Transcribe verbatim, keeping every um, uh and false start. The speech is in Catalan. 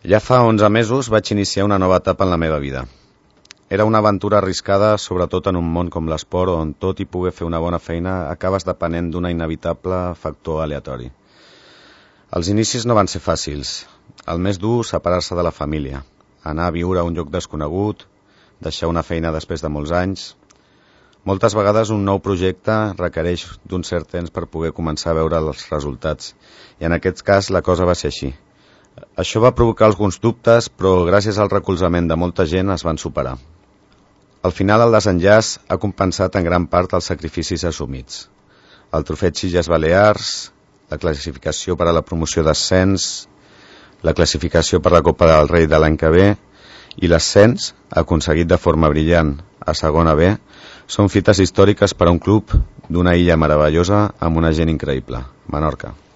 Ja fa onze mesos vaig iniciar una nova etapa en la meva vida. Era una aventura arriscada, sobretot en un món com l'esport, on tot i poder fer una bona feina acabes depenent d'un inevitable factor aleatori. Els inicis no van ser fàcils. El més dur, separar-se de la família, anar a viure a un lloc desconegut, deixar una feina després de molts anys. Moltes vegades un nou projecte requereix d'un cert temps per poder començar a veure els resultats, i en aquest cas la cosa va ser així. Això va provocar alguns dubtes, però gràcies al recolzament de molta gent es van superar. Al final el desenllaç ha compensat en gran part els sacrificis assumits. El trofeig Illes Balears, la classificació per a la promoció d'ascens, la classificació per la Copa del Rei de l'any que ve i l'ascens, aconseguit de forma brillant a segona B, són fites històriques per a un club d'una illa meravellosa amb una gent increïble, Menorca.